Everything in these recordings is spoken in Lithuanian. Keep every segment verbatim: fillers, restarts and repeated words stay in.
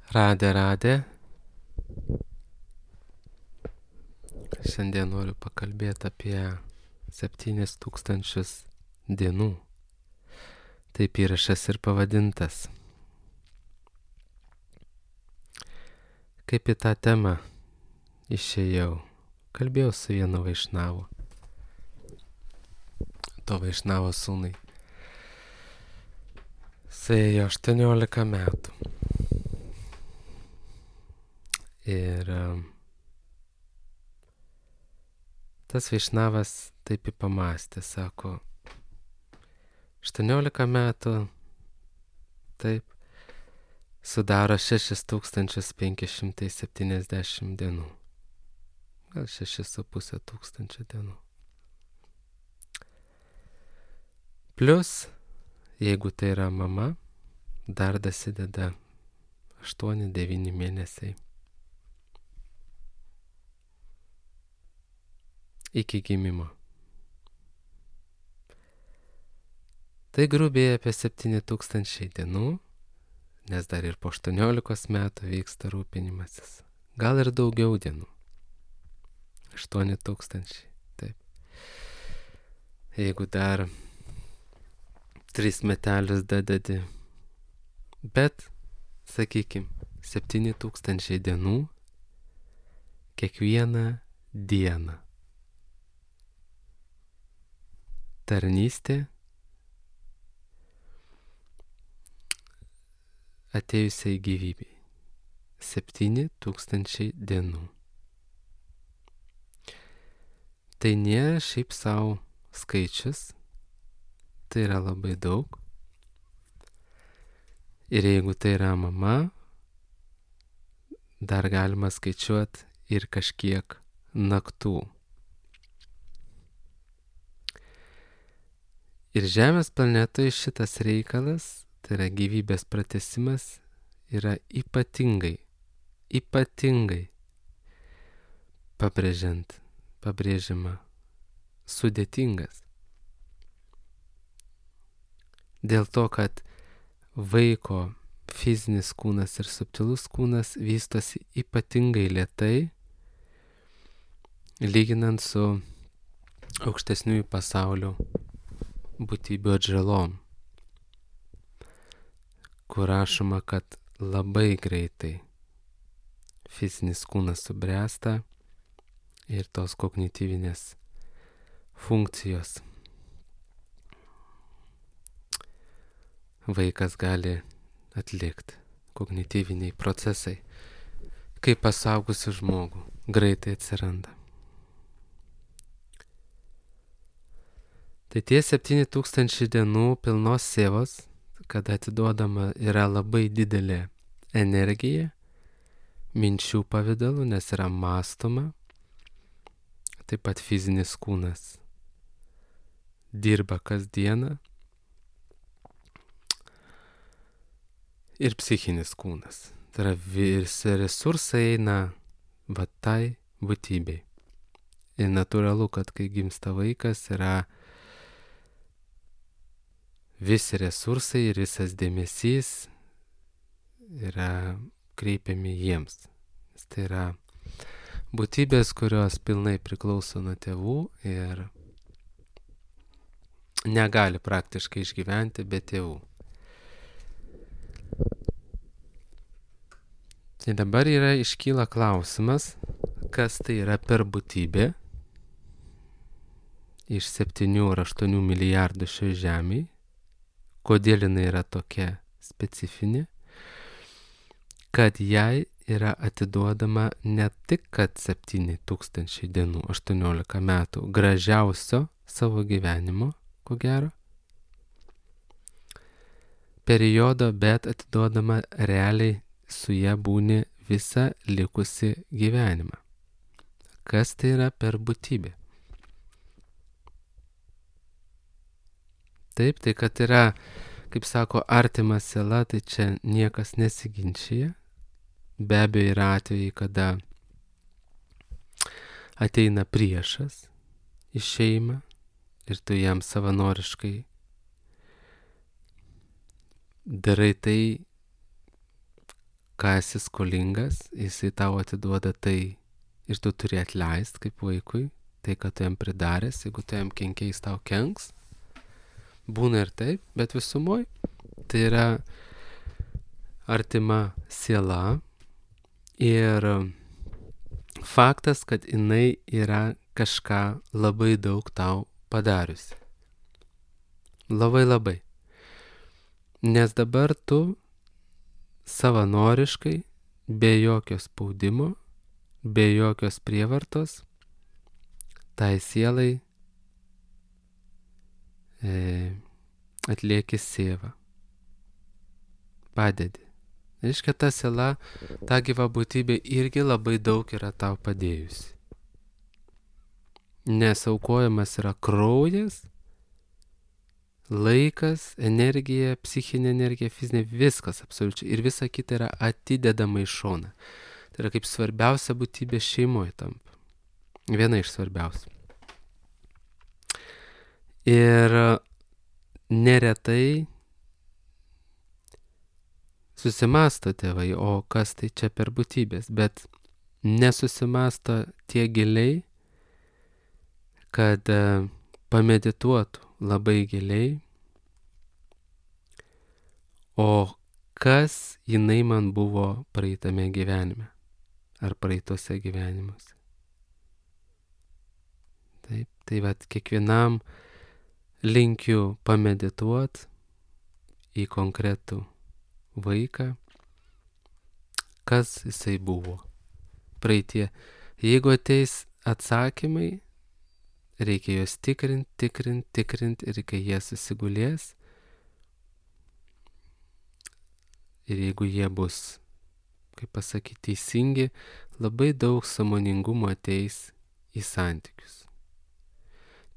Radė, radė. Šiandien noriu pakalbėti apie septynis tūkstančius dienų. Taip įrašas ir pavadintas. Kaip į tą temą išėjau, kalbėjau su vienu vaišnavu. To vaišnavo sūnai. Suėjo aštuoniolika metų. Ir um, tas vaišnavas taip į pamastė, sako, aštuoniolika metų, taip, sudaro šešis tūkstančius penki šimtai septyniasdešimt dienų. Gal šešis su pusė tūkstančio dienų. Plius, jeigu tai yra mama, dar dasideda aštuoni devyni mėnesiai. Iki gimimo. Tai grubiai apie septyni tūkstančiai dienų, nes dar ir po aštuoniolikos metų vyksta rūpinimasis. Gal ir daugiau dienų. aštuoni tūkstančiai, taip. Jeigu dar tris metelius dadadi. Bet, sakykim, septyni tūkstančiai dienų kiekvieną dieną. Tarnystė atėjusiai gyvybei. Septyni tūkstančiai dienų. Tai nėra šiaip savo skaičius, tai yra labai daug. Ir jeigu tai yra mama, dar galima skaičiuoti ir kažkiek naktų. Ir Žemės planetoje šitas reikalas, tai yra gyvybės pratęsimas, yra ypatingai, ypatingai pabrėžiant, pabrėžiama, sudėtingas. Dėl to, kad vaiko fizinis kūnas ir subtilus kūnas vystosi ypatingai lėtai, lyginant su aukštesniųjų pasaulio būtybių atžalom, kur rašoma, kad labai greitai fizinis kūnas subręsta ir tos kognityvinės funkcijos vaikas gali atlikti, kognityviniai procesai, kaip pasaugusi žmogų, greitai atsiranda. Tai tie septyni tūkstančiai dienų pilnos sėvos, kada atiduodama yra labai didelė energija, minčių pavidalu, nes yra mąstoma, taip pat fizinis kūnas dirba kasdieną ir psichinis kūnas. Tai yra visi resursai eina va tai būtybei. Ir natūralu, kad kai gimsta vaikas, yra visi resursai ir visas dėmesys yra kreipiami jiems. Tai yra būtybės, kurios pilnai priklauso nuo tėvų ir negali praktiškai išgyventi be tėvų. Tai dabar yra iškyla klausimas, kas tai yra per būtybė iš septynių ar aštuonių milijardų šioje žemėje, kodėl jinai yra tokia specifinė, kad jai yra atiduodama ne tik kad septyni tūkstančiai dienų, aštuoniolika metų gražiausio savo gyvenimo, ko gero, periodo, bet atiduodama realiai su ją būni visą likusi gyvenimą. Kas tai yra per būtybė? Taip, tai kad yra, kaip sako, artima siela, tai čia niekas nesiginčia. Be abejo yra atvejai, kada ateina priešas į šeimą ir tu jam savanoriškai darai tai, ką esi skolingas, jisai tau atiduoda tai ir tu turi atleisti kaip vaikui, tai, kad tu jam pridaręs, jeigu tu jam kenkiai, jis tau kenks. Būna ir taip, bet visumoj tai yra artima siela ir faktas, kad jinai yra kažką labai daug tau padariusi. Labai labai. Nes dabar tu savanoriškai, be jokio spaudimo, be jokios prievartos, tai sielai e, atlieki sievą. Padedi. Reiškia, ta siela, ta gyva būtybė irgi labai daug yra tau padėjusi. Nes aukojamas yra kraujas, laikas, energija, psichinė energija, fizinė, viskas absoliučiai. Ir visa kita yra atidedama į šoną. Tai yra kaip svarbiausia būtybė šeimoje tampa. Viena iš svarbiausių. Ir neretai susimasto tėvai, o kas tai čia per būtybės, bet nesusimasto tiek giliai, kad pamedituotų labai giliai, o kas jinai man buvo praeitame gyvenime ar praeitose gyvenimuose. Taip, tai vat kiekvienam linkiu pamedituot į konkretų vaiką, kas jisai buvo praeitie. Jeigu ateis atsakymai, reikia juos tikrint, tikrint, tikrint ir kai jie susigulės ir jeigu jie bus, kaip pasakyti, teisingi, labai daug sąmoningumo ateis į santykius.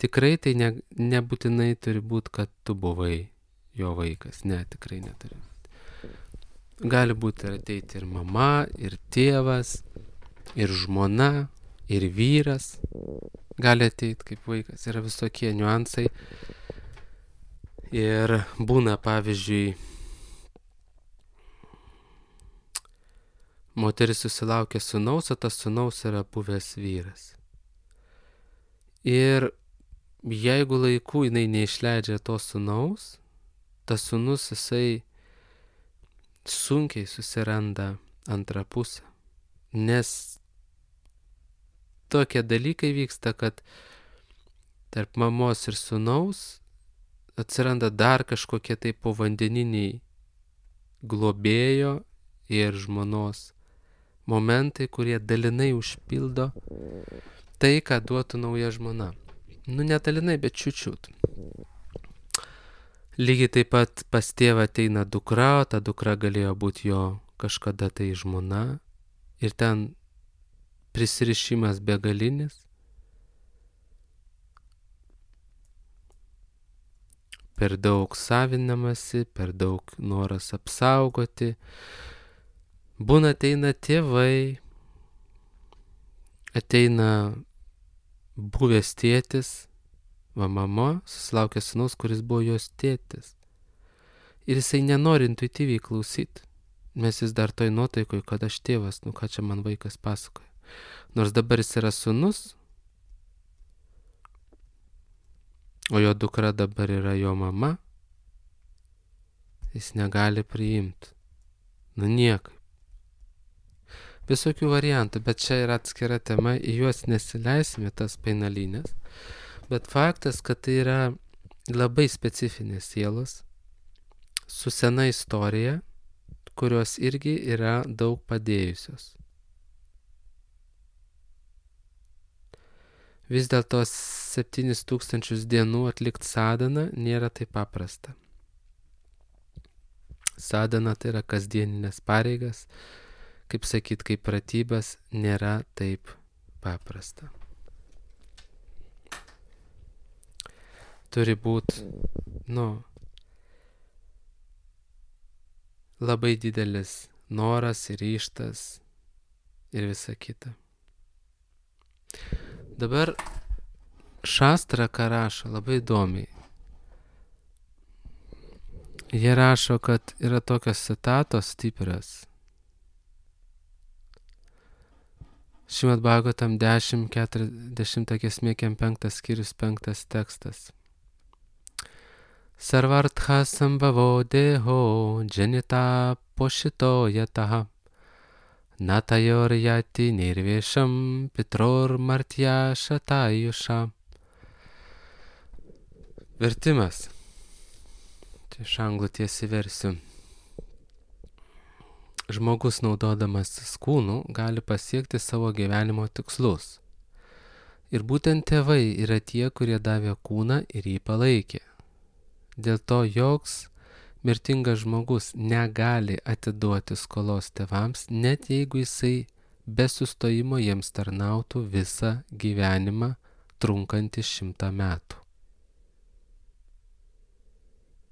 Tikrai tai ne, nebūtinai turi būti, kad tu buvai jo vaikas. Ne, tikrai neturi. Gali būti ir ateiti ir mama, ir tėvas, ir žmona, ir vyras. Gali ateiti kaip vaikas. Yra visokie niuansai. Ir būna, pavyzdžiui, moteris susilaukia sūnaus, o tas sūnaus yra buvęs vyras. Ir jeigu laiku jinai neišleidžia to sūnaus, tas sūnus jisai sunkiai susiranda antrą pusę. Nes tokie dalykai vyksta, kad tarp mamos ir sūnaus atsiranda dar kažkokie tai povandeniniai globėjo ir žmonos momentai, kurie dalinai užpildo tai, ką duotų nauja žmona. Nu, netalinai, bet čiučiut. Lygiai taip pat pas tėvą ateina dukra, o ta dukra galėjo būti jo kažkada tai žmona. Ir ten prisirišimas begalinis. Per daug savinamasi, per daug noras apsaugoti. Būna ateina tėvai, ateina buvęs tėtis, va mama susilaukė sūnaus, kuris buvo jos tėtis. Ir jisai nenori intuityviai klausyti. Mes vis dar toj nuotaikoj, kad aš tėvas, nu ką čia man vaikas pasakoja. Nors dabar jis yra sūnus, o jo dukra dabar yra jo mama, jis negali priimti. Nu niekaip. Visokių variantų, bet čia yra atskira tema, į juos nesileisime, tas painalinės. Bet faktas, kad tai yra labai specifinės sielos, su sena istorija, kurios irgi yra daug padėjusios. Vis dėlto septynis tūkstančius dienų atlikti sadaną nėra taip paprasta. Sadana tai yra kasdieninės pareigas, kaip sakyt, kaip pratybas, nėra taip paprasta. Turi būti, nu, labai didelis noras ir ryžtas ir visa kita. Dabar Šastra, ką rašo, labai įdomiai. Jie rašo, kad yra tokios citatos stiprios. Šrimad Bhagavatam dešimt keturiasdešimt giesmė penktas skyrius penktas tekstas. Sarvartha sambhavo deho janita poshito yataha natayor yati nirvesham pitror martya shatayusha. Vertimas. Tai iš anglų tiesiai versiu. Žmogus naudodamasis kūnu gali pasiekti savo gyvenimo tikslus. Ir būtent tėvai yra tie, kurie davė kūną ir jį palaikė. Dėl to joks mirtingas žmogus negali atiduoti skolos tėvams, net jeigu jisai be sustojimo jiems tarnautų visą gyvenimą trunkantį šimtą metų.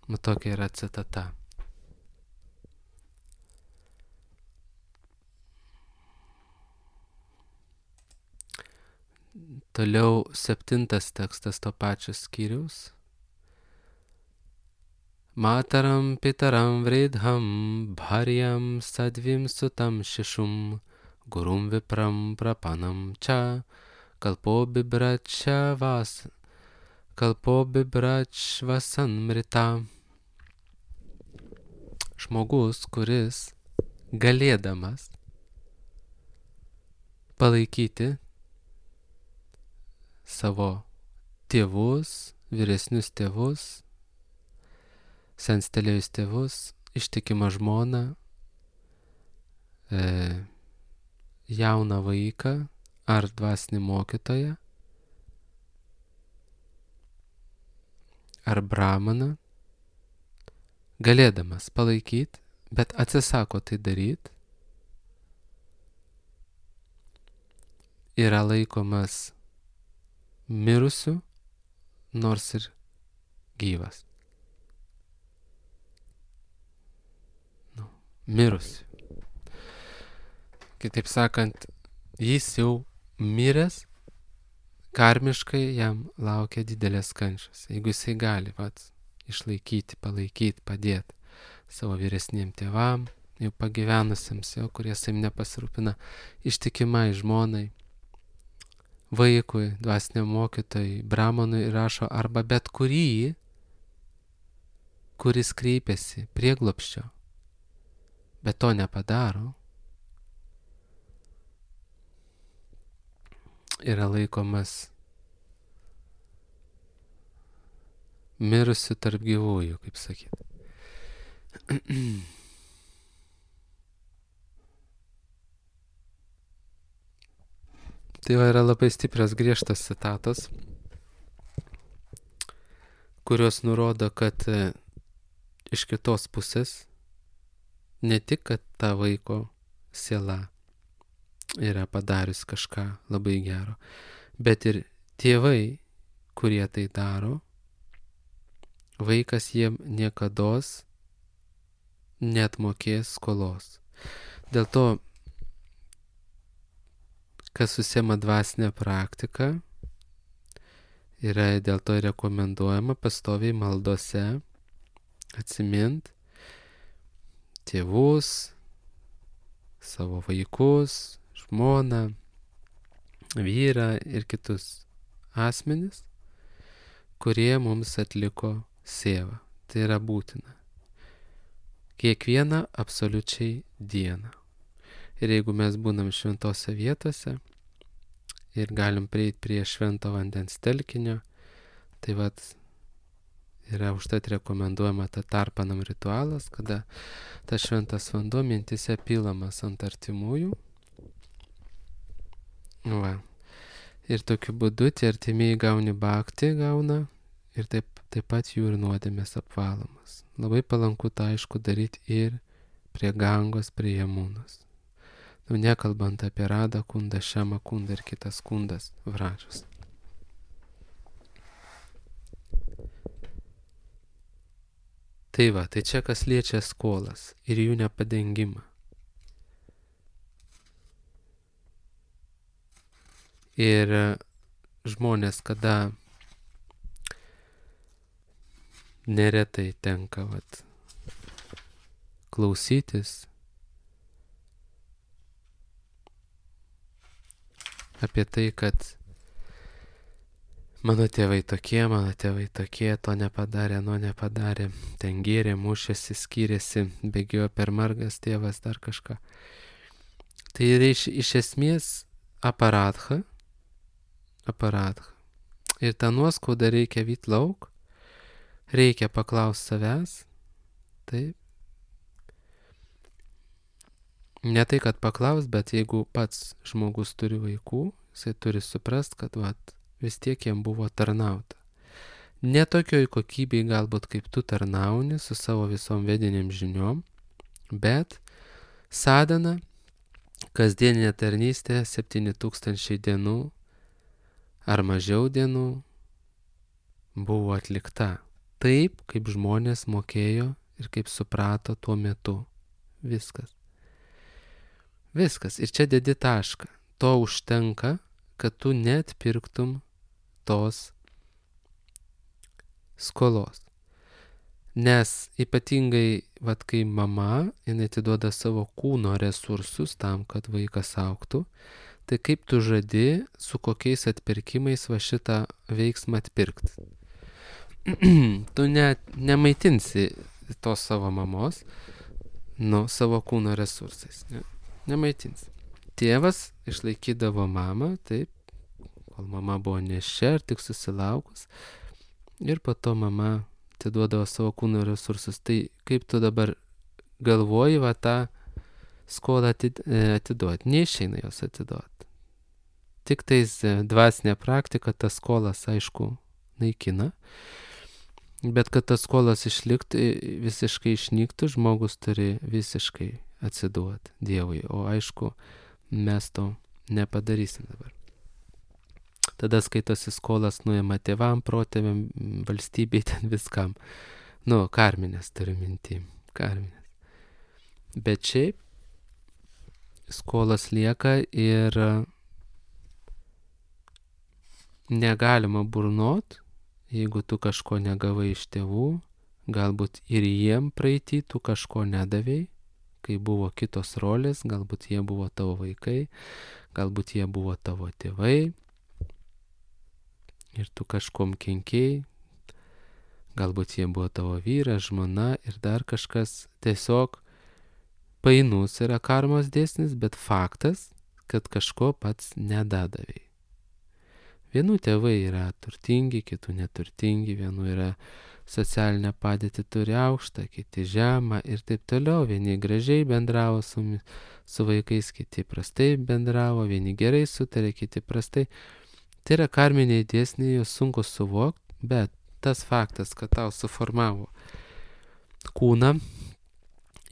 Nu, tokia yra citata. Toliau septintas tekstas to pačio skyriaus. Mataram pitaram vridham bharyam sadvim sutam šešum gurum vipram prapanam čia kalpo bibračia vas kalpo bibračvasan mrita. Žmogus, kuris galėdamas palaikyti savo tėvus, vyresnius tėvus, senstelėjus tėvus, ištikimą žmoną, e, jauną vaiką ar dvasinį mokytoją, ar brahmaną, galėdamas palaikyti, bet atsisako tai daryti, yra laikomas mirusiu, nors ir gyvas. Nu, mirusiu. Kitaip sakant, jis jau miręs, karmiškai jam laukia didelės kančios. Jeigu jisai gali pats išlaikyti, palaikyti, padėti savo vyresniem tėvam, jau pagyvenusiems, jau kurie savim nepasirūpina, ištikimai žmonai, vaikui, dvasiniam mokytojui, brahmanui rašo arba bet kurį, kuris kreipiasi prieglobsčio, bet to nepadaro, yra laikomas mirusių tarp gyvųjų, kaip sakyti. Tai va yra labai stiprios griežtas citatos, kurios nurodo, kad e, iš kitos pusės ne tik, kad ta vaiko siela yra padarius kažką labai gero, bet ir tėvai, kurie tai daro, vaikas jiem niekados neatmokės skolos. Dėl to, kas susiema dvasinę praktiką, yra dėl to rekomenduojama pastoviai maldose atsimint tėvus, savo vaikus, žmoną, vyrą ir kitus asmenis, kurie mums atliko sėvą. Tai yra būtina. Kiekvieną absoliučiai dieną. Ir jeigu mes būnam šventose vietose ir galim prieiti prie švento vandens telkinio, tai vat yra užtat rekomenduojama ta tarpanam ritualas, kada tas šventas vanduo mintise pilamas ant artimųjų. Va. Ir tokiu būdu tie artimieji gauni bhakti, gauna ir taip, taip pat jų ir nuodėmės apvalomas. Labai palanku tą aišku daryti ir prie Gangos, prie Jamunos. Nu, nekalbant apie Radą kundą, Šemą kundą ir kitas kundas Vražas. Tai va, tai čia kas liečia skolas ir jų nepadengimą. Ir žmonės, kada neretai tenka vat, klausytis apie tai, kad mano tėvai tokie, mano tėvai tokie, to nepadarė, no nepadarė, ten gėrė, mušėsi, skyrėsi, bėgiojo per margas tėvas, dar kažką. Tai yra iš, iš esmės aparatha, aparatha. Ir tą nuoskaudą reikia vyt lauk, reikia paklausti savęs, taip. Ne tai, kad paklaus, bet jeigu pats žmogus turi vaikų, jisai turi suprast, kad vat, vis tiek jam buvo tarnauta. Ne tokioj kokybei galbūt kaip tu tarnauni su savo visom vediniam žiniom, bet sadana, kasdieninė tarnystė, septyni tūkstančiai dienų ar mažiau dienų buvo atlikta taip, kaip žmonės mokėjo ir kaip suprato tuo metu. Viskas. Viskas. Ir čia dedi tašką. To užtenka, kad tu net pirktum tos skolos. Nes ypatingai, vat kai mama, jinai atiduoda savo kūno resursus tam, kad vaikas augtų, tai kaip tu žadi, su kokiais atpirkimais va šitą veiksmą atpirkti. Tu net nemaitinsi tos savo mamos, nu, savo kūno resursais. Ne? Nemaitins. Tėvas išlaikydavo mamą, taip, kol mama buvo neščia ir tik susilaukus, ir po to mama atiduodavo savo kūno resursus. Tai kaip tu dabar galvoji, va tą skolą atiduoti? Neišeina jos atiduoti. Tik tais dvasinė praktika tas skolas, aišku, naikina, bet kad tas skolas išliktų, visiškai išnyktų, žmogus turi visiškai atsiduoti Dievui, o aišku, mes to nepadarysim dabar. Tada skaitosi skolas nuima tėvam, protėviam, valstybei, ten viskam. Nu, karminės turiu minty, karminės. Bet šiaip skolas lieka ir negalima burnot, jeigu tu kažko negavai iš tėvų, galbūt ir jiem praeitį tu kažko nedavei, kai buvo kitos rolės, galbūt jie buvo tavo vaikai, galbūt jie buvo tavo tėvai ir tu kažkom kenkėjai, galbūt jie buvo tavo vyras, žmona ir dar kažkas. Tiesiog painus yra karmos dėsnis, bet faktas, kad kažko pats nedadavai. Vienų tėvai yra turtingi, kitų neturtingi, vienų yra socialinę padėtį turi aukštą, kiti žemą ir taip toliau. Vieni gražiai bendravo su, su vaikais, kiti prastai bendravo, vieni gerai sutarė, kiti prastai. Tai yra karminiai dėsniai, jos sunku suvokti, bet tas faktas, kad tau suformavo kūną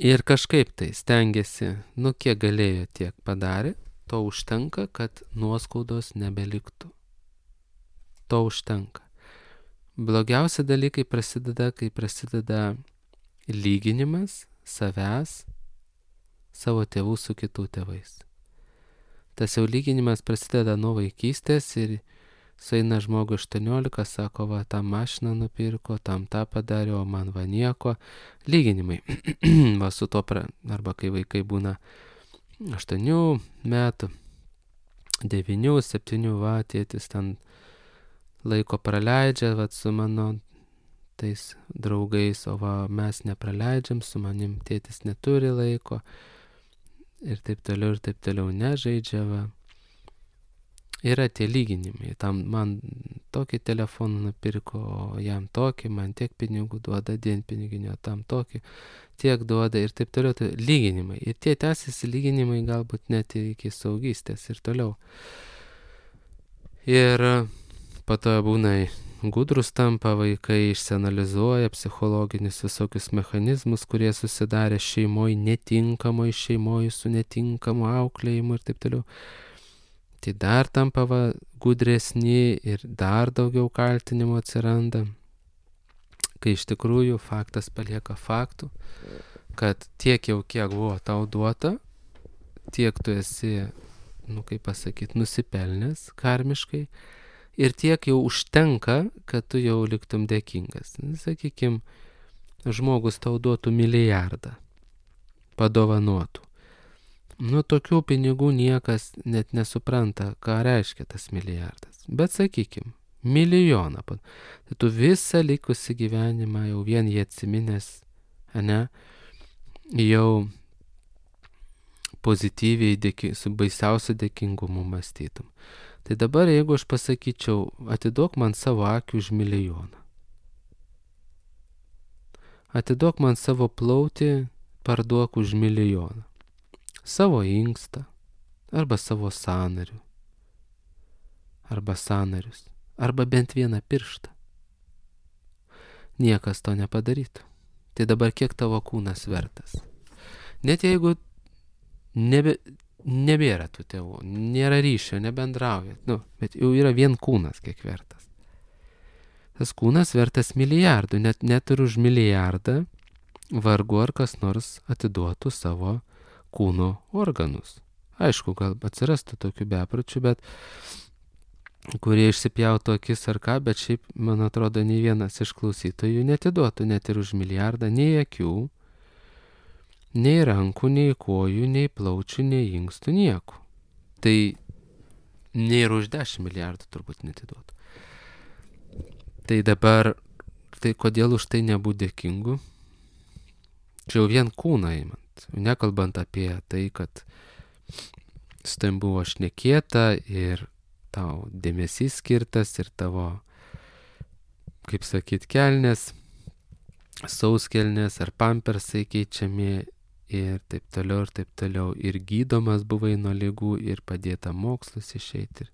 ir kažkaip tai stengiasi, nu kiek galėjo, tiek padarė, to užtenka, kad nuoskaudos nebeliktų. To užtenka. Blogiausi dalykai prasideda, kai prasideda lyginimas savęs, savo tėvų su kitų tėvais. Tas jau lyginimas prasideda nuo vaikystės ir sueina žmogui aštuoniolika, sako, va, tą mašiną nupirko, tam tą padarė, o man va nieko. Lyginimai. Va su to, pra... arba kai vaikai būna aštuonių metų, devynių, septynių, va, tėtis ten laiko praleidžia, va, su mano tais draugais, o va, mes nepraleidžiam, su manim tėtis neturi laiko ir taip toliau, ir taip toliau nežaidžia, va. Yra tie lyginimai, tam man tokį telefoną nupirko, o jam tokį, man tiek pinigų duoda, dienpiniginio, tam tokį, tiek duoda ir taip toliau, tai lyginimai. Ir tie tęsiasi lyginimai galbūt net iki saugystės ir toliau. Ir po to būna gudrus tampa vaikai, išsianalizuoja psichologinius visokius mechanizmus, kurie susidarė šeimoje, netinkamoje šeimoje, su netinkamu auklėjimu ir taip toliau. Tai dar tampa va, gudresni ir dar daugiau kaltinimų atsiranda, kai iš tikrųjų faktas palieka faktų, kad tiek jau kiek buvo tau duota, tiek tu esi, nu kaip pasakyti, nusipelnęs karmiškai, ir tiek jau užtenka, kad tu jau liktum dėkingas. Sakykim, žmogus tau duotų milijardą, padovanotų. Nu, tokių pinigų niekas net nesupranta, ką reiškia tas milijardas. Bet sakykim, milijoną. Tai tu visą likusį gyvenimą jau vien jį atsiminęs, ne, jau pozityviai, dėki, su baisiausiu dėkingumu mąstytum. Tai dabar, jeigu aš pasakyčiau, atiduok man savo akį už milijoną. Atiduok man savo plautį, parduok už milijoną. Savo inkstą, arba savo sąnarių, arba sąnarius, arba bent vieną pirštą. Niekas to nepadarytų. Tai dabar kiek tavo kūnas vertas? Net jeigu nebe, nebėra tų tėvų, nėra ryšio, nebendraujat, nu, bet jau yra vien kūnas kiek vertas. Tas kūnas vertas milijardų, net, net ir už milijardą vargu ar kas nors atiduotų savo kūno organus. Aišku, gal atsirastų tokių bepročių, bet kurie išsipjautų akis ar ką, bet šiaip, man atrodo, nei vienas iš klausytojų netiduotų net ir už milijardą nei akių, nei rankų, nei kojų, nei plaučių, nei inkstų, nieko. Tai nei ir už dešimt milijardų turbūt netiduotų. Tai dabar, tai kodėl už tai nebūti dėkingu? Čia jau vien kūną įmant. Nekalbant apie tai, kad su tavim buvo šnekėta ir tau dėmesys skirtas ir tavo, kaip sakyt, kelnės, sauskelnės ar pampersai keičiami ir taip toliau ir taip toliau. Ir gydomas buvai nuo ligų ir padėta mokslus išeiti. Ir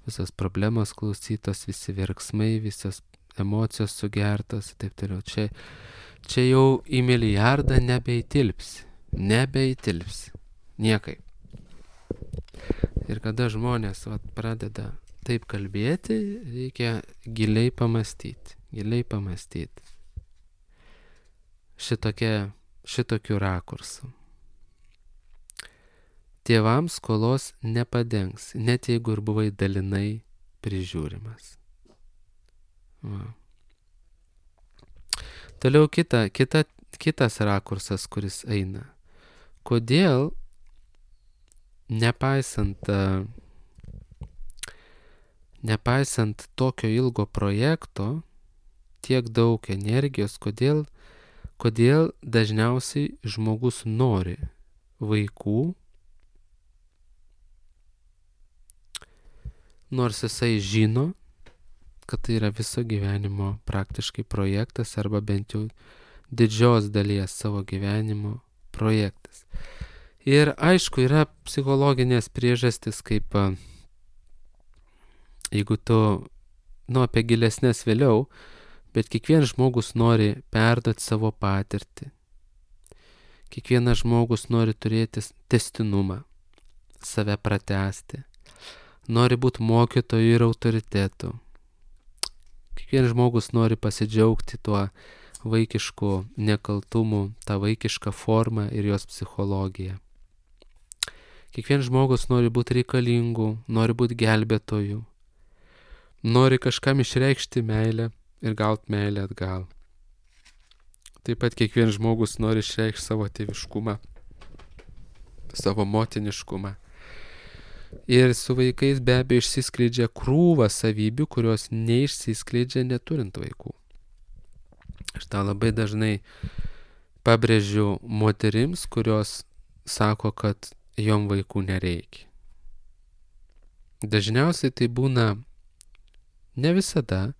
visos problemos klausytos, visi verksmai, visos emocijos sugertos ir taip toliau. Čia, čia jau į milijardą nebeįtilpsi. Nebeįtilpsi. Niekaip. Ir kada žmonės vat, pradeda taip kalbėti, reikia giliai pamastyti. Giliai pamastyti. Šitokia, šitokių rakursų. Tėvams skolos nepadengs, net jeigu ir buvai dalinai prižiūrimas. Va. Toliau kita, kita, kitas rakursas, kuris eina. Kodėl, nepaisant, nepaisant tokio ilgo projekto, tiek daug energijos, kodėl, kodėl dažniausiai žmogus nori vaikų, nors jisai žino, kad tai yra viso gyvenimo praktiškai projektas arba bent jau didžios dalies savo gyvenimo projektas. Ir aišku, yra psichologinės priežastis, kaip jeigu tu, nu apie gilesnės vėliau, bet kiekvienas žmogus nori perduoti savo patirtį. Kiekvienas žmogus nori turėti testinumą, save pratęsti, nori būti mokytoju ir autoritetu. Kiekvienas žmogus nori pasidžiaugti tuo vaikišku nekaltumu, tą vaikišką formą ir jos psichologiją. Kiekvienas žmogus nori būti reikalingu, nori būti gelbėtoju, nori kažkam išreikšti meilę ir gauti meilę atgal. Taip pat kiekvienas žmogus nori išreikšti savo tėviškumą, savo motiniškumą. Ir su vaikais be abejo išsiskleidžia krūva savybių, kurios neišsiskleidžia neturint vaikų. Aš tą labai dažnai pabrėžiu moterims, kurios sako, kad jom vaikų nereikia. Dažniausiai tai būna, ne visada,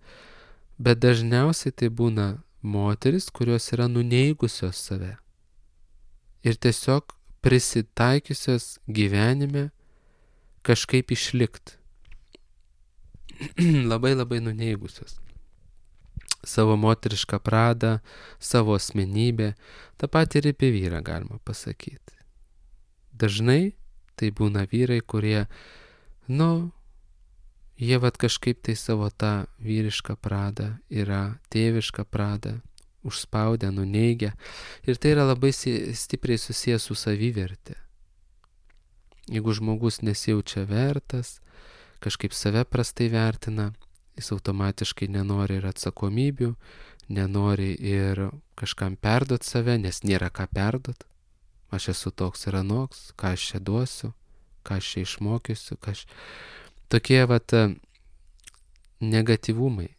bet dažniausiai tai būna moteris, kurios yra nuneigusios save ir tiesiog prisitaikiusios gyvenime kažkaip išlikti. labai labai nuneigusios savo moterišką pradą, savo asmenybę, tą patį ir apie vyrą galima pasakyti. Dažnai tai būna vyrai, kurie, nu, jie vat kažkaip tai savo tą vyrišką pradą, yra tėvišką pradą, užspaudę, nuneigia. Ir tai yra labai stipriai susijęs su savivertė. Jeigu žmogus nesijaučia vertas, kažkaip save prastai vertina, jis automatiškai nenori ir atsakomybių, nenori ir kažkam perduot save, nes nėra ką perduot. aš esu toks ir anoks, ką aš čia duosiu, ką aš čia išmokysiu, ką aš... Tokie vat negatyvumai.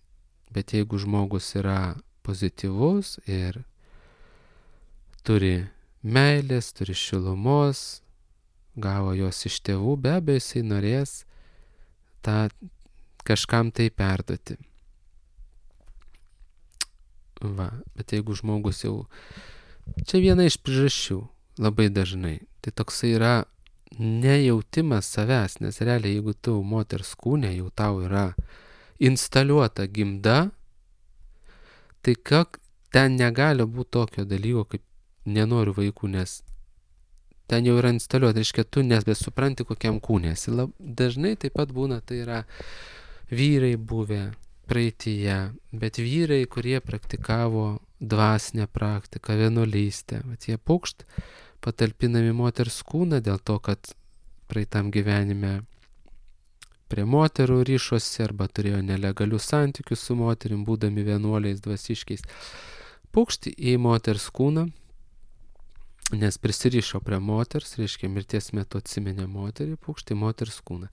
Bet jeigu žmogus yra pozityvus ir turi meilės, turi šilumos, gavo jos iš tėvų, be abejo jisai norės tą kažkam tai perduoti. Va, bet jeigu žmogus jau... Čia viena iš priežasčių, labai dažnai. Tai toksai yra nejautimas savęs, nes realiai jeigu tu moters kūne jau tau yra instaliuota gimda, tai kak, ten negali būti tokio dalyko, kaip nenoriu vaikų, nes ten jau yra instaliuota, reiškia, tu nebesupranti, kokiam kūne esi. Dažnai taip pat būna, tai yra vyrai buvę praeityje, bet vyrai, kurie praktikavo dvasinę praktiką, vienuolystę, bet jie pukšt patalpinami moters kūną dėl to, kad praeitam gyvenime prie moterų ryšosi arba turėjo nelegalių santykių su moterim, būdami vienuoliais dvasiškiais. Pukšti į moters kūną, nes prisirišo prie moters, reiškia mirties metu atsiminė moterį, pukšti į moters kūną.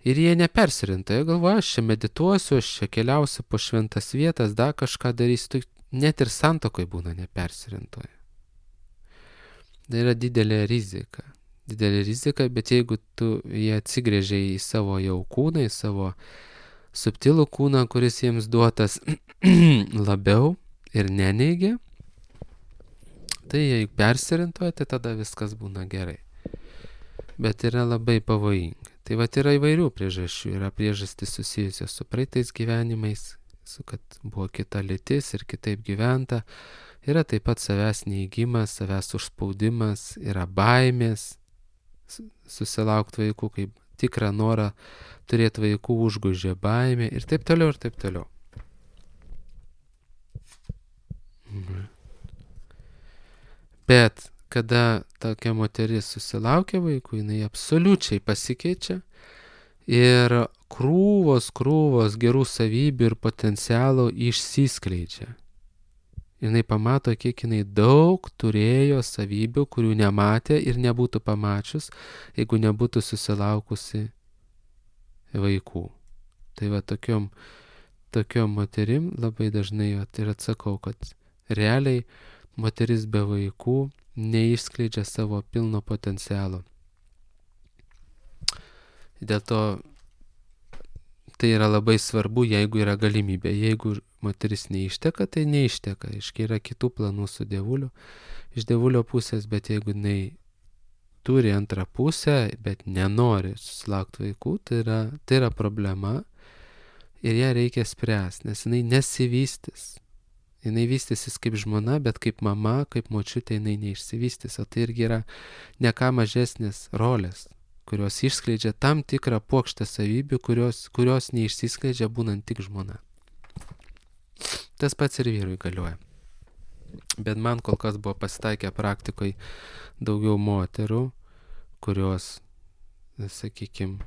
Ir jie nepersirinta, jie galvoja, aš čia medituosiu, aš čia keliausiu po šventas vietas, dar kažką darysiu, net ir santuokoj būna nepersirintoje. Tai yra didelė rizika. Didelė rizika, bet jeigu tu jie atsigrėžia į savo jau kūną, į savo subtilų kūną, kuris jiems duotas labiau ir neneigia, tai jei persirintoja, tai tada viskas būna gerai. Bet yra labai pavojinga. Tai vat yra įvairių priežasčių. Yra priežastys susijusios su praeitais gyvenimais, su kad buvo kita lytis ir kitaip gyventa. Yra taip pat savęs neįgymas, savęs užspaudimas, yra baimės susilaukti vaikų, kaip tikrą norą turėti vaikų užgužė baimė ir taip toliau ir taip toliau. Mhm. Bet kada tokia moteris susilaukia vaikų, jinai absoliučiai pasikeičia ir krūvos, krūvos gerų savybių ir potencialo išsiskleidžia. Jinai pamato, kiek jinai daug turėjo savybių, kurių nematė ir nebūtų pamačius, jeigu nebūtų susilaukusi vaikų. Tai va tokiom, tokiom moterim labai dažnai va, ir atsakau, kad realiai moteris be vaikų neišskleidžia savo pilno potencialo. Dėl to tai yra labai svarbu, jeigu yra galimybė. Jeigu moteris neišteka, tai neišteka. Iškai yra kitų planų su dievuliu, iš dievulio pusės, bet jeigu jinai turi antrą pusę, bet nenori susilaukti vaikų, tai yra, tai yra problema ir ją reikia spręsti, nes jinai nesivystys. Jinai vystysis kaip žmona, bet kaip mama, kaip močiutė jinai neišsivystys. O tai irgi yra ne ką mažesnės rolės, kurios išskleidžia tam tikrą puokštę savybių, kurios, kurios neišsiskleidžia būnant tik žmona. Tas pats ir vyrui galioja. Bet man kol kas buvo pasitaikę praktikoje daugiau moterų, kurios, sakykime,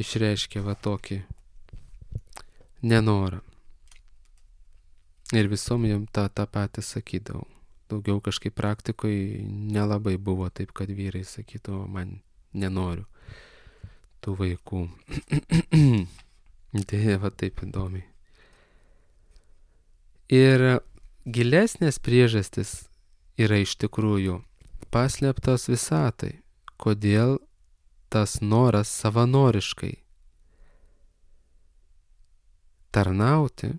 išreiškia va tokį nenorą. Ir visom jam tą, tą patį sakydavau. Daugiau kažkaip praktikoje nelabai buvo taip, kad vyrai sakytų, man nenoriu tų vaikų. Tai va taip įdomiai. Ir gilesnės priežastis yra iš tikrųjų paslėptos visatai. Kodėl tas noras savanoriškai tarnauti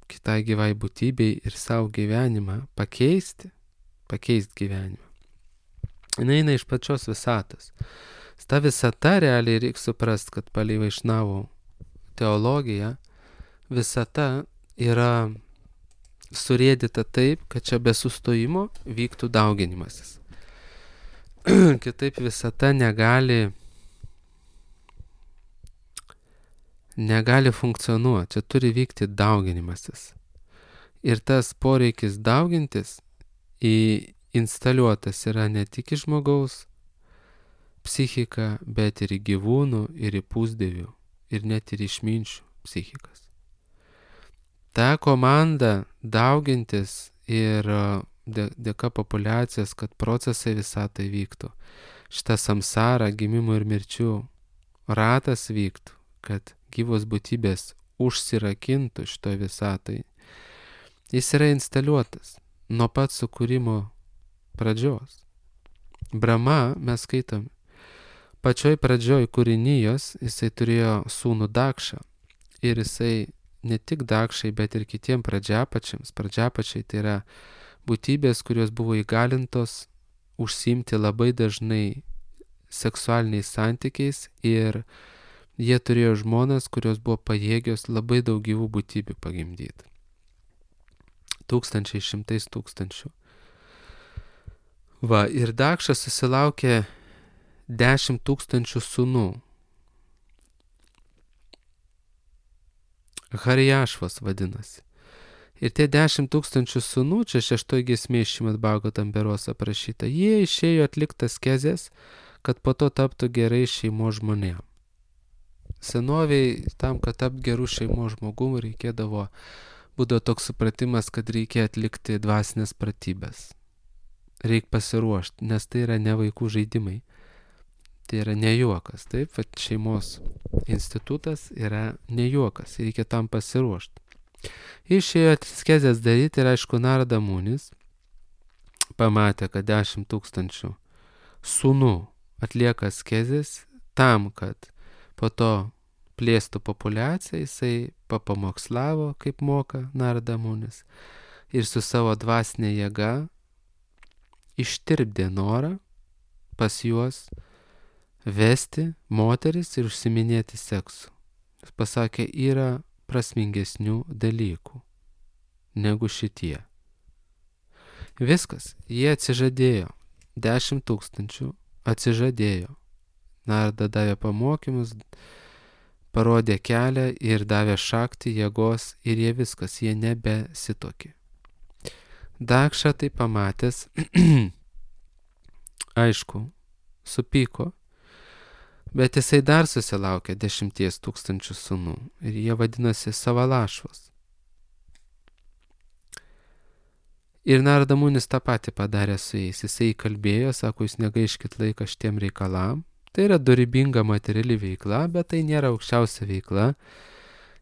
kitai gyvai būtybei ir savo gyvenimą pakeisti, pakeisti gyvenimą. Jis eina iš pačios visatos. Ta visata realiai reikia suprasti, kad palei Vaišnavų teologiją visata yra surėdyta taip, kad čia be sustojimo vyktų dauginimasis. Kitaip visata negali negali funkcionuoti, čia turi vykti dauginimasis. Ir tas poreikis daugintis į instaliuotas yra ne tik į žmogaus psichiką, bet ir į gyvūnų, ir į pusdievių, ir net ir išminčių psichikas. Ta komanda daugintis ir dėka populiacijos, kad procesai visatai vyktų. Šitą samsarą, gimimų ir mirčių ratas vyktų, kad gyvos būtybės užsirakintų šitoj visatai. Jis yra instaliuotas nuo pat sukūrimo pradžios. Brahma, mes skaitom, pačioj pradžioj kūrinijos jisai turėjo sūnų Dakšą ir jisai ne tik Dakšai, bet ir kitiem pradžiapačiams. Pradžiapačiai tai yra būtybės, kurios buvo įgalintos užsiimti labai dažnai seksualiniais santykiais ir jie turėjo žmonas, kurios buvo pajėgios labai daug gyvų būtybių pagimdyti. Tūkstančiai, šimtais tūkstančių. Va, ir Dakšas susilaukė dešimt tūkstančių sūnų. Harijašvas vadinasi. Ir tie dešimt tūkstančių sūnų, čia šeštoj giesmė Šrimad Bhagavatam beros aprašyta, jie išėjo atliktas kezės, kad po to taptų gerai šeimos žmonėm. Senoviai tam, kad tapt gerų šeimos žmogum, reikėdavo, būdavo toks supratimas, kad reikia atlikti dvasinės pratybės. Reik pasiruošti, nes tai yra ne vaikų žaidimai. Tai yra ne juokas, taip, kad šeimos institutas yra ne juokas, reikia tam pasiruošti. Išėjo askezes daryti ir aišku Narada Munis pamatė, kad dešimt tūkstančių sūnų atlieka askezes tam, kad po to plėstų populiaciją, jisai papamokslavo, kaip moka Narada Munis, ir su savo dvasinė jėga ištirpdė norą pas juos vesti moteris ir užsiminėti seksu. Jis pasakė, yra prasmingesnių dalykų negu šitie. Viskas, jie atsižadėjo, dešimt tūkstančių atsižadėjo. Narada davė pamokymus, parodė kelią ir davė šaktį jėgos ir jie viskas, jie nebesitokė. Dakša tai pamatęs, aišku, supyko, bet jisai dar susilaukė dešimties tūkstančių sūnų ir jie vadinasi Savalašvas. Ir Narada Munis tą patį padarė su jais. Jisai kalbėjo, sako, jūs negaiškit laiką šitiem reikalam. Tai yra dorybinga materiali veikla, bet tai nėra aukščiausia veikla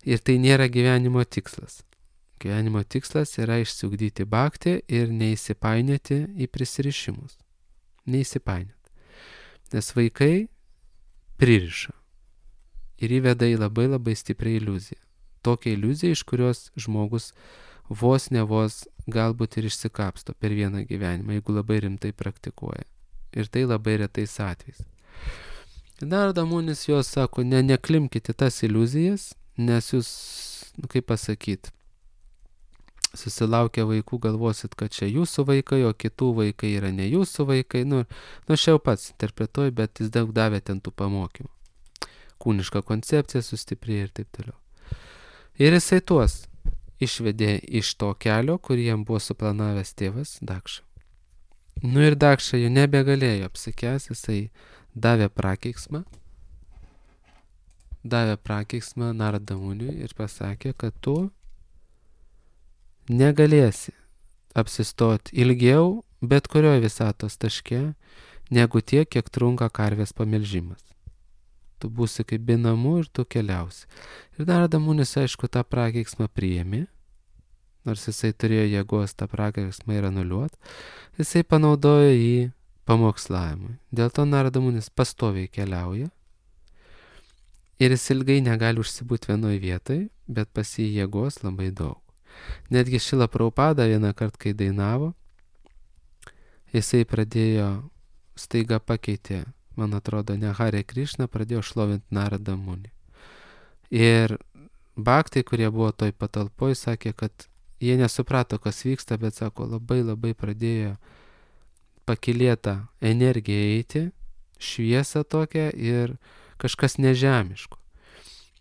ir tai nėra gyvenimo tikslas. Gyvenimo tikslas yra išsiugdyti bhaktį ir neįsipainioti į prisirišimus. Neįsipainioti. Nes vaikai pririša ir įveda į labai labai stiprią iliuziją. Tokią iliuziją, iš kurios žmogus vos ne vos galbūt ir išsikapsto per vieną gyvenimą, jeigu labai rimtai praktikuoja. Ir tai labai retais atvejais. Narada Munis jos sako, ne, neklimkite tas iliuzijas, nes jūs, nu, kaip pasakyti, susilaukę vaikų galvosit, kad čia jūsų vaikai, o kitų vaikai yra ne jūsų vaikai. Nu, nu aš jau pats interpretuoju, bet jis daug davė ten tų pamokymų. Kūniška koncepcija sustiprėjo ir taip toliau. Ir jisai tuos išvedė iš to kelio, kurį jam buvo suplanavęs tėvas Dakša. Nu ir Dakša jau nebegalėjo apsikęs, jisai davė prakeiksmą, davė prakeiksmą Narada Muniui ir pasakė, kad tu negalėsi apsistoti ilgiau bet kurioje visatos taške, negu tiek, kiek trunka karvės pamelžimas. Tu būsi kaip be namų ir tu keliausi. Ir Narada Munis, aišku, tą prakeiksmą priėmė, nors jisai turėjo jėgos tą prakeiksmą ir anuliuoti, jisai panaudojo jį pamokslavimui. Dėl to Narada Munis pastoviai keliauja ir jis ilgai negali užsibūti vienoje vietoje, bet pas jį jėgos labai daug. Netgi Šrila Prabhupada vieną kartą, kai dainavo, jisai pradėjo, staiga pakeitė, man atrodo, ne Hare Krishna, pradėjo šlovinti Narada Munį. Ir bhaktai, kurie buvo toj patalpoj, sakė, kad jie nesuprato, kas vyksta, bet sako, labai labai pradėjo pakilėta energija eiti, šviesa tokia ir kažkas nežemiško.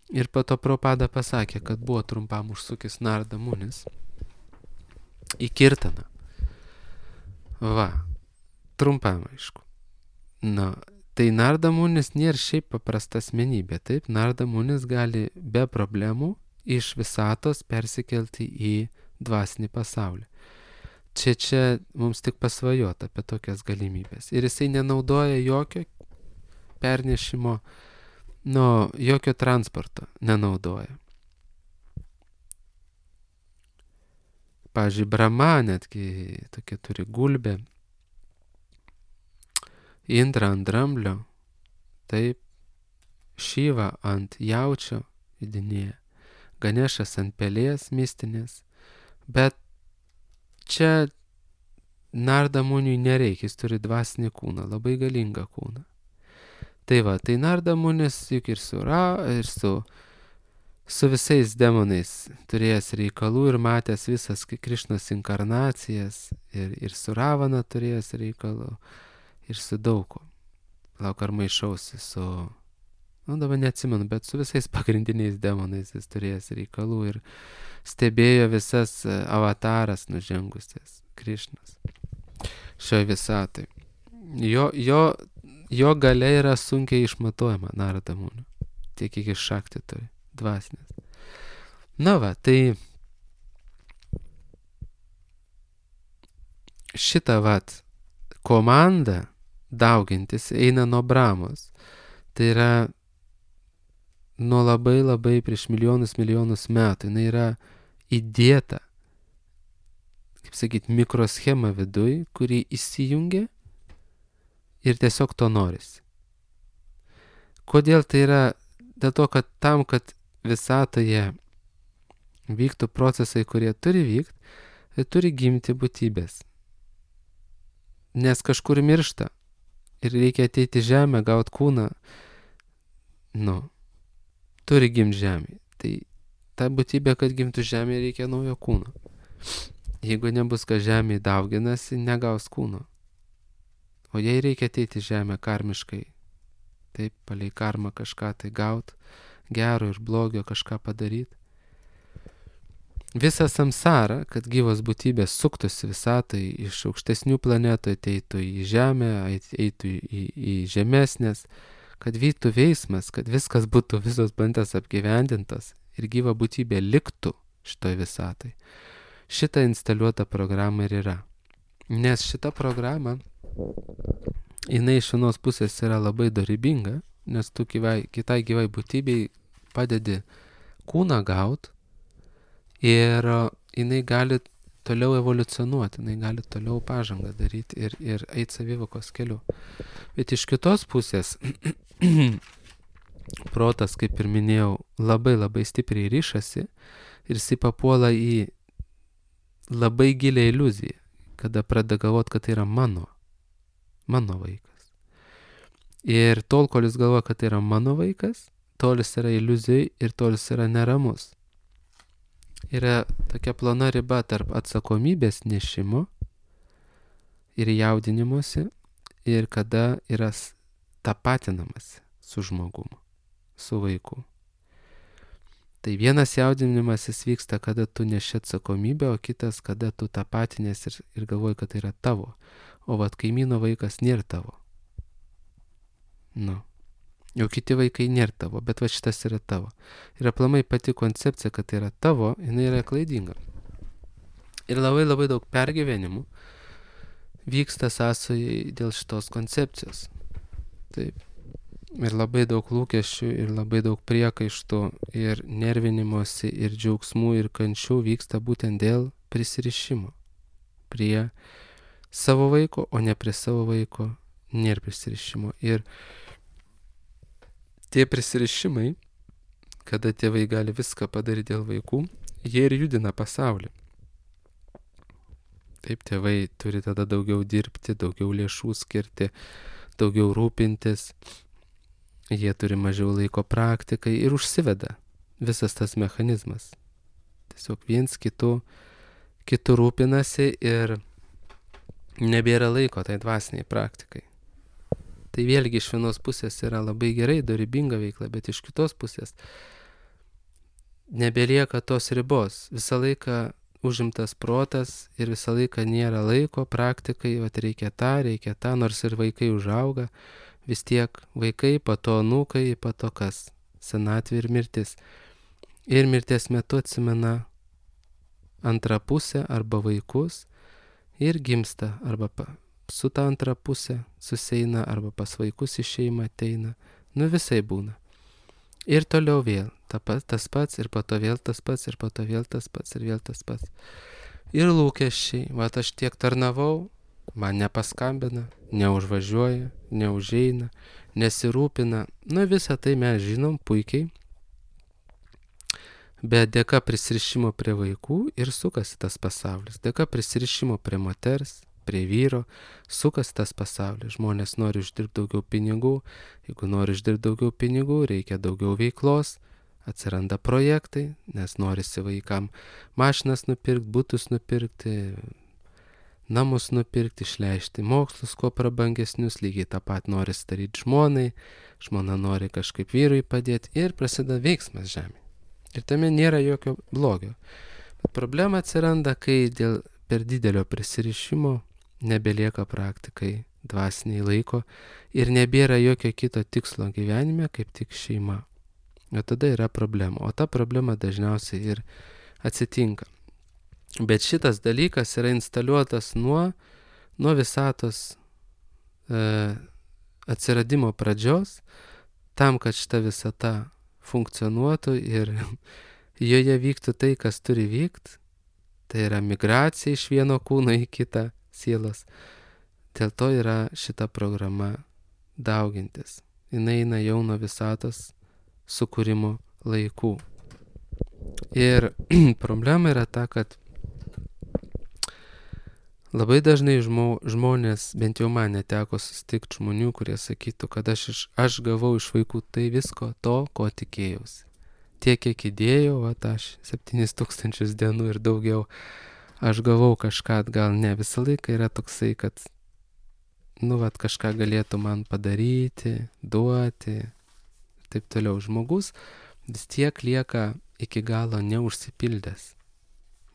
Ir po to Prabhupada pasakė, kad buvo trumpam užsukęs Narada Munis į Kirtaną. Va, trumpam, aišku. Na, tai Narada Munis nėra šiaip paprasta asmenybė, taip? Narada Munis gali be problemų iš visatos persikelti į dvasinį pasaulį. čia čia mums tik pasvajota apie tokias galimybės. Ir jisai nenaudoja jokio pernešimo, nu, jokio transporto nenaudoja. Pavyzdžiui, Brahma netgi tokia turi gulbę, Indra ant dramblio, taip, Šiva ant jaučio įdinėja, Ganešas ant pelės mistinės, bet čia Narda Muniui nereikia, jis turi dvasinį kūną, labai galingą kūną. Tai va, tai Narda Munis juk ir su, ra, ir su, su visais demonais turėjęs reikalų ir matęs visas Krišnos inkarnacijas, ir, ir su Ravana turėjęs reikalų, ir su daug ko. Lauk ar maišausi su, nu dabar neatsimenu, bet su visais pagrindiniais demonais jis turėjęs reikalų ir stebėjo visas avataras nužengusias Krišnos šioje visatoj. Jo, jo, jo galia yra sunkiai išmatuojama Narada Munio, tiek kiek iš šakti turi, dvasinės. Na va, tai šitą vat komanda daugintis eina nuo Brahmos. Tai yra nuo labai labai prieš milijonus milijonus metų. Jis yra įdėta, kaip sakyt, mikroschema viduj, kuri įsijungia ir tiesiog to norisi. Kodėl tai yra? Dėl to, kad tam, kad visatoje vyktų procesai, kurie turi vykti, tai turi gimti būtybės. Nes kažkur miršta ir reikia ateiti žemę, gauti kūną, nu, turi gimti žemė. Tai ta būtybė, kad gimtų žemė, reikia naujo kūno. Jeigu nebus, kad žemė dauginasi, negaus kūno. O jei reikia ateiti žemę karmiškai, taip, palei karmą kažką tai gaut, gero ir blogio kažką padaryti. Visa samsara, kad gyvos būtybės suktųsi visatai iš aukštesnių planetų, ateitų į žemę, eitų į, į žemesnės, kad vyktų veiksmas, kad viskas būtų visos bandas apgyvendintos ir gyva būtybė liktų šitoj visatai. Šita instaliuota programa ir yra. Nes šita programa, jinai iš vienos pusės yra labai dorybinga, nes tu gyvai, kitai gyvai būtybei padedi kūną gaut ir jinai gali toliau evoliucionuoti, jinai gali toliau pažangą daryti ir, ir eiti savivokos keliu. Bet iš kitos pusės protas, kaip ir minėjau, labai labai stipriai ryšasi ir jisai papuola į labai gilią iliuziją, kada pradeda galvoti, kad tai yra mano, mano vaikas. Ir tol, kol jis galvoja, kad tai yra mano vaikas, tol jis yra iliuzijai ir tol jis yra neramus. Yra tokia plona riba tarp atsakomybės nešimo ir jaudinimuose ir kada yra tapatinamas su žmogumu, su vaiku. Tai vienas jaudinimasis vyksta, kada tu neši atsakomybę, o kitas, kada tu tapatinės ir, ir galvoji, kad tai yra tavo. O vat kaimyno vaikas nėra tavo. Nu. Jau kiti vaikai nėra tavo, bet va šitas yra tavo. Ir aplamai pati koncepcija, kad tai yra tavo, jinai yra klaidinga. Ir labai labai daug pergyvenimų vyksta sąsojai dėl šitos koncepcijos. Taip. Ir labai daug lūkesčių, ir labai daug priekaištų, ir nervinimosi, ir džiaugsmų, ir kančių vyksta būtent dėl prisirišimo prie savo vaiko, o ne prie savo vaiko nėra prisirišimo. Ir tie prisirišimai, kada tėvai gali viską padaryti dėl vaikų, jie ir judina pasaulį. Taip, tėvai turi tada daugiau dirbti, daugiau lėšų skirti, daugiau rūpintis, jie turi mažiau laiko praktikai ir užsiveda visas tas mechanizmas. Tiesiog viens kitų, kitų rūpinasi ir nebėra laiko tai dvasiniai praktikai. Tai vėlgi iš vienos pusės yra labai gerai, dorybinga veikla, bet iš kitos pusės nebelieka tos ribos. Visą laiką užimtas protas ir visą laiką nėra laiko praktikai, vat reikia tą, reikia tą, nors ir vaikai užauga, vis tiek vaikai, po to anūkai, po to kas, senatvė ir mirtis. Ir mirties metu atsimena antrą pusę arba vaikus ir gimsta arba pa, su ta antra pusė susieina, arba pas vaikus į šeimą ateina. Nu visai būna. Ir toliau vėl ta, tas pats, ir po to vėl tas pats, ir po to vėl tas pats, ir vėl tas pats. Ir lūkesčiai, va aš tiek tarnavau, man nepaskambina, neužvažiuoja, neužeina, nesirūpina. Nu visą tai mes žinom puikiai. Bet dėka prisirišimo prie vaikų ir sukasi tas pasaulis. Dėka prisirišimo prie moters, prie vyro, sukasi tas pasaulis. Žmonės nori uždirbti daugiau pinigų. Jeigu nori uždirbti daugiau pinigų, reikia daugiau veiklos. Atsiranda projektai, nes norisi vaikam mašinas nupirkti, butus nupirkti, namus nupirkti, išleisti mokslus kuo prabangesnius. Lygiai tą pat nori daryti žmonai. Žmona nori kažkaip vyrui padėti ir prasideda veiksmas žemė. Ir tame nėra jokio blogio. Bet problema atsiranda, kai dėl per didelio prisirišimo nebelieka praktikai dvasiniai laiko ir nebėra jokio kito tikslo gyvenime, kaip tik šeima. O tada yra problema. O ta problema dažniausiai ir atsitinka. Bet šitas dalykas yra instaliuotas nuo, nuo visatos e, atsiradimo pradžios, tam, kad šita visata funkcionuotų ir joje vyktų tai, kas turi vykti. Tai yra migracija iš vieno kūno į kitą sielos. Dėl to yra šita programa daugintis. Jis eina jau nuo visatos sukūrimo laikų. Ir problema yra ta, kad labai dažnai žmo, žmonės, bent jau man neteko susitikti žmonių, kurie sakytų, kad aš, iš, aš gavau iš vaikų tai visko to, ko tikėjausi. Tiek, kiek įdėjau, va, aš septynis tūkstančius dienų ir daugiau, aš gavau kažką, gal ne visą laiką yra toksai, kad, nu, va, kažką galėtų man padaryti, duoti, taip toliau. Žmogus vis tiek lieka iki galo neužsipildęs,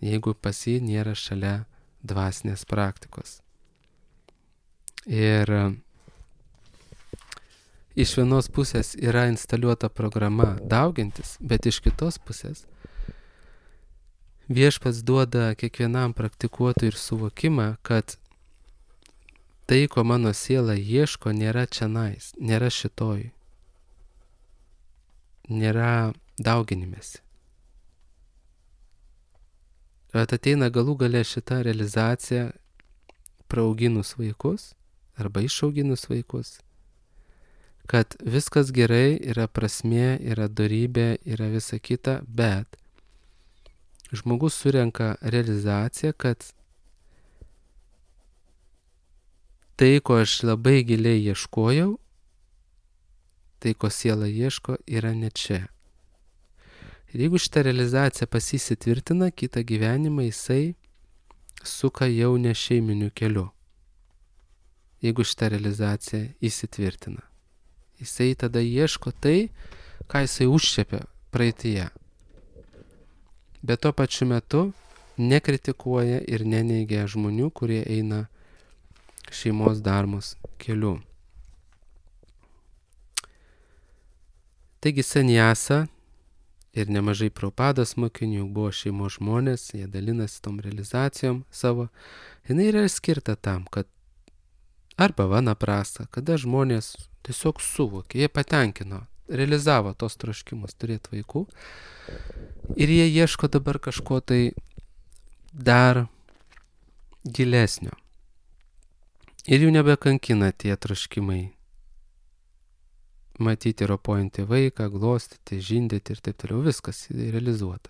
jeigu pas jį nėra šalia dvasinės praktikos. Ir iš vienos pusės yra instaliuota programa daugintis, bet iš kitos pusės viešpats duoda kiekvienam praktikuotojui ir suvokimą, kad tai, ko mano siela ieško, nėra čionais, nėra šitoj, nėra dauginimėsi. Bet ateina galų gale šita realizacija praauginus vaikus arba išauginus vaikus, kad viskas gerai, yra prasmė, yra dorybė, yra visa kita, bet žmogus surenka realizaciją, kad tai, ko aš labai giliai ieškojau, tai, ko siela ieško, yra ne čia. Ir jeigu šitą realizaciją pasisitvirtina, kitą gyvenimą jisai suka jau ne šeiminiu keliu. Jeigu šitą realizaciją įsitvirtina. Jisai tada ieško tai, ką jisai užčiapė praeityje. Bet tuo pačiu metu nekritikuoja ir neneigia žmonių, kurie eina šeimos darbos keliu. Taigi sanjasa ir nemažai Prabhupados mokinių buvo šeimos žmonės, jie dalinasi tom realizacijom savo. Jinai yra skirta tam, kad arba vanaprasta, kada žmonės tiesiog suvokė, jie patenkino, realizavo tos troškimus turėti vaikų ir jie ieško dabar kažko tai dar gilesnio. Ir jų nebekankina tie troškimai. Matyti ropojantį vaiką, glostyti, žindyti ir taip toliau, viskas realizuota.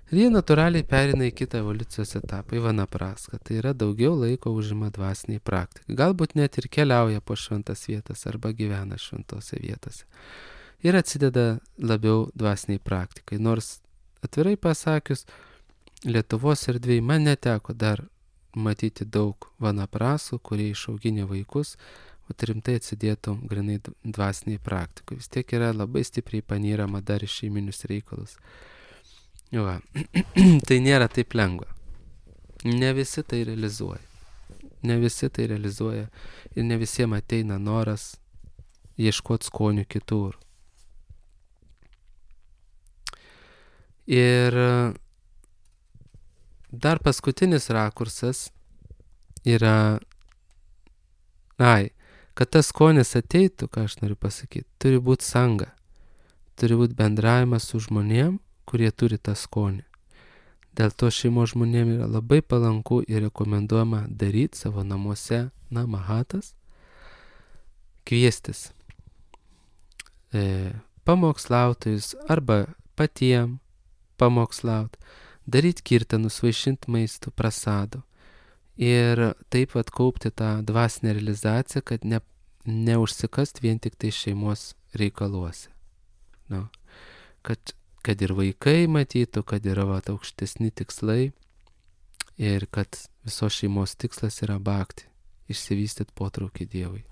Ir jie natūraliai perina į kitą evoliucijos etapą, į vanapraską. Tai yra daugiau laiko užima dvasiniai praktikai. Galbūt net ir keliauja po šventas vietas arba gyvena šventose vietose. Ir atsideda labiau dvasiniai praktikai. Nors atvirai pasakius, Lietuvos erdvėje man neteko dar matyti daug vanaprasų, kurie išauginė vaikus, o rimtai atsidėtų grinai dvasiniai praktikai. Vis tiek yra labai stipriai panyrama dar iš šeiminius reikalus. Va. Tai nėra taip lengva. Ne visi tai realizuoja. Ne visi tai realizuoja ir ne visiems ateina noras ieškoti skonių kitur. Ir dar paskutinis rakursas yra, ai, kad tas skonis ateitų, ką aš noriu pasakyti, turi būti sanga, turi būti bendravimas su žmonėm, kurie turi tą skonį. Dėl to šeimos žmonėm yra labai palanku ir rekomenduojama daryti savo namuose namahatas, kviestis e, pamokslautojus arba patiem pamokslaut, daryti kirtanus, vaišinti maistų, prasado ir taip pat kaupti tą dvasinę realizaciją, kad ne, neužsikast vien tik tai šeimos reikaluose. No. Kad, kad ir vaikai matytų, kad yra va, aukštesni tikslai ir kad visos šeimos tikslas yra bhakti, išsivystyti potraukį Dievui.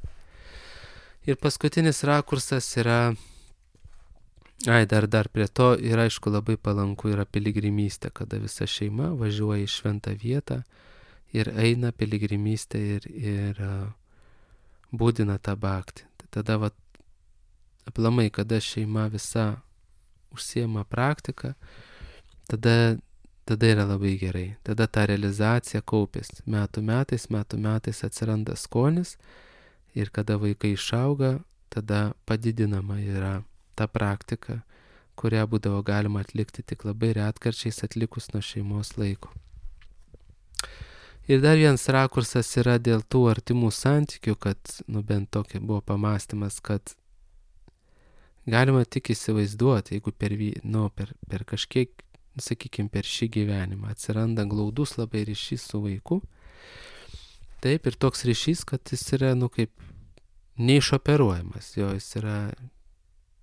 Ir paskutinis rakursas yra, ai, dar, dar prie to ir aišku labai palanku yra piligrimystė, kada visa šeima važiuoja į šventą vietą ir eina piligrimystę ir, ir uh, būdina tą bhaktį. Tada va, aplamai, kada šeima visa užsiema praktiką, tada, tada yra labai gerai. Tada ta realizacija kaupėsi. Metų metais, metų metais atsiranda skonis ir kada vaikai išauga, tada padidinama yra ta praktika, kurią būdavo galima atlikti tik labai retkarčiais atlikus nuo šeimos laiko. Ir dar vienas rakursas yra dėl tų artimų santykių, kad, nu bent tokia buvo pamastymas, kad galima tik įsivaizduoti, jeigu per, nu, per, per kažkiek, sakykime, per šį gyvenimą atsiranda glaudus labai ryšys su vaiku. Taip, ir toks ryšys, kad jis yra, nu, kaip neišoperuojamas, jo jis yra,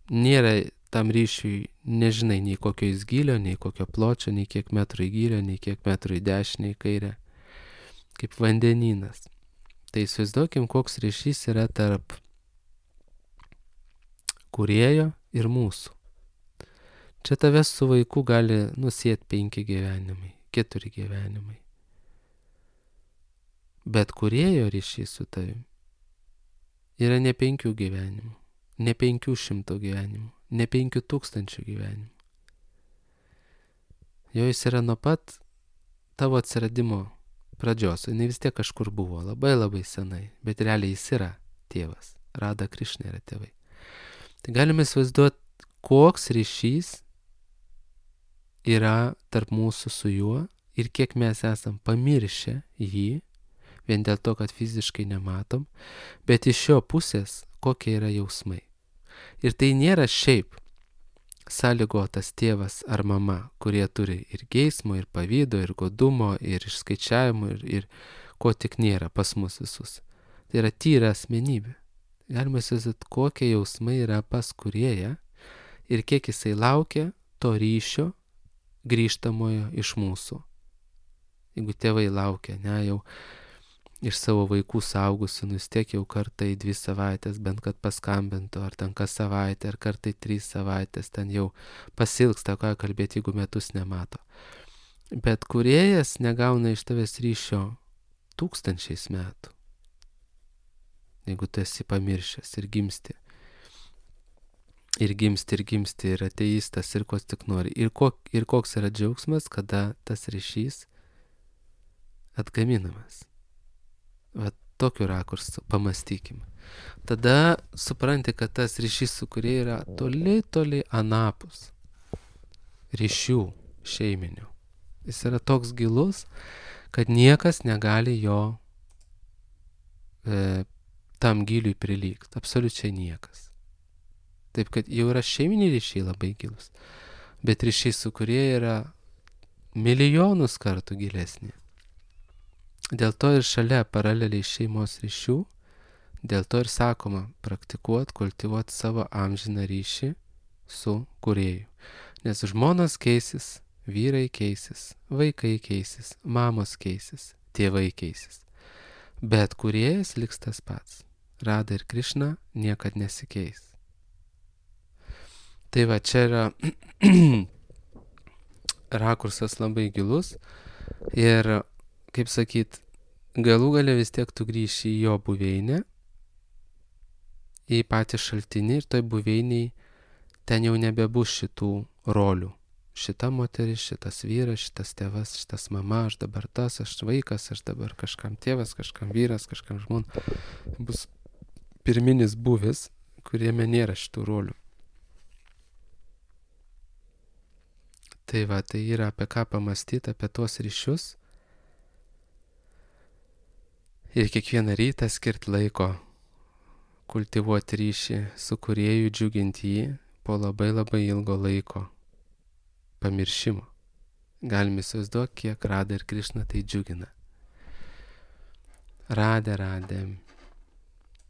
nėra tam ryšiui, nežinai, nei kokio jis gylio, nei kokio pločio, nei kiek metrų į gylio, nei kiek metrų į dešinę, į kairę, kaip vandenynas. Tai įsivaizduokim, koks ryšys yra tarp kūrėjo ir mūsų. Čia tavęs su vaiku gali nusieti penki gyvenimai, keturi gyvenimai. Bet kūrėjo ryšys su tavim yra ne penkių gyvenimų, ne penkių šimtų gyvenimų, ne penkių tūkstančių gyvenimų. Jo jis yra nuo pat tavo atsiradimo pradžios, jinai vis tiek kažkur buvo, labai labai senai, bet realiai jis yra tėvas, Radha Krišna yra tėvai. Tai galime įsivaizduoti, koks ryšys yra tarp mūsų su juo ir kiek mes esam pamiršę jį, vien dėl to, kad fiziškai nematom, bet iš jo pusės kokie yra jausmai. Ir tai nėra šiaip sąlygotas tėvas ar mama, kurie turi ir geismo, ir pavydo, ir godumo, ir išskaičiavimo, ir, ir ko tik nėra pas mus visus. Tai yra tyra asmenybė. Galima įsivaizduoti, kokie jausmai yra pas kūrėją ir kiek jisai laukia to ryšio grįžtamojo iš mūsų. Jeigu tėvai laukia, ne, jau iš savo vaikų saugusių, nu vis tiek jau kartą į dvi savaitės, bent kad paskambintų, ar ten kas savaitę, ar kartą į trys savaitės, ten jau pasilgsta, ką kalbėti, jeigu metus nemato. Bet kūrėjas negauna iš tavęs ryšio tūkstančiais metų, jeigu tu esi pamiršęs ir gimsti. Ir gimsti, ir gimsti, ir ateistas, ir ko tik nori. Ir, kok, ir koks yra džiaugsmas, kada tas ryšys atgaminamas. Va tokiu rakursu pamastykime. Tada supranti, kad tas ryšys su kurie yra toli, toli anapus ryšių šeiminių. Jis yra toks gilus, kad niekas negali jo e, tam giliui prilygti. Absoliučiai niekas. Taip, kad jau yra šeiminiai ryšiai labai gilus. Bet ryšiai su kurie yra milijonus kartų gilesni. Dėl to ir šalia paraleliai šeimos ryšių, dėl to ir sakoma praktikuoti, kultivuoti savo amžiną ryšį su kūrėju. Nes žmonos keisis, vyrai keisis, vaikai keisis, mamos keisis, tėvai keisis. Bet kūrėjas liks tas pats. Radha ir Krišna niekad nesikeis. Tai va, čia yra rakursas labai gilus ir, kaip sakyt, galų gale vis tiek tu grįši į jo buveinę, į patį šaltinį ir toj buveiniai ten jau nebebus šitų rolių. šita moteris, šitas vyras, šitas tėvas, šitas mama, aš dabar tas, aš vaikas, aš dabar kažkam tėvas, kažkam vyras, kažkam žmona. Bus pirminis buvis, kuriame nėra šitų rolių. Tai va, tai yra apie ką pamastyti, apie tuos ryšius. Ir kiekvieną rytą skirti laiko kultivuoti ryšį su Kūrėju, džiuginti jį po labai labai ilgo laiko pamiršimo. Galime įsivaizduoti, kiek Radha ir Krišna tai džiugina. Radhe, Radhe.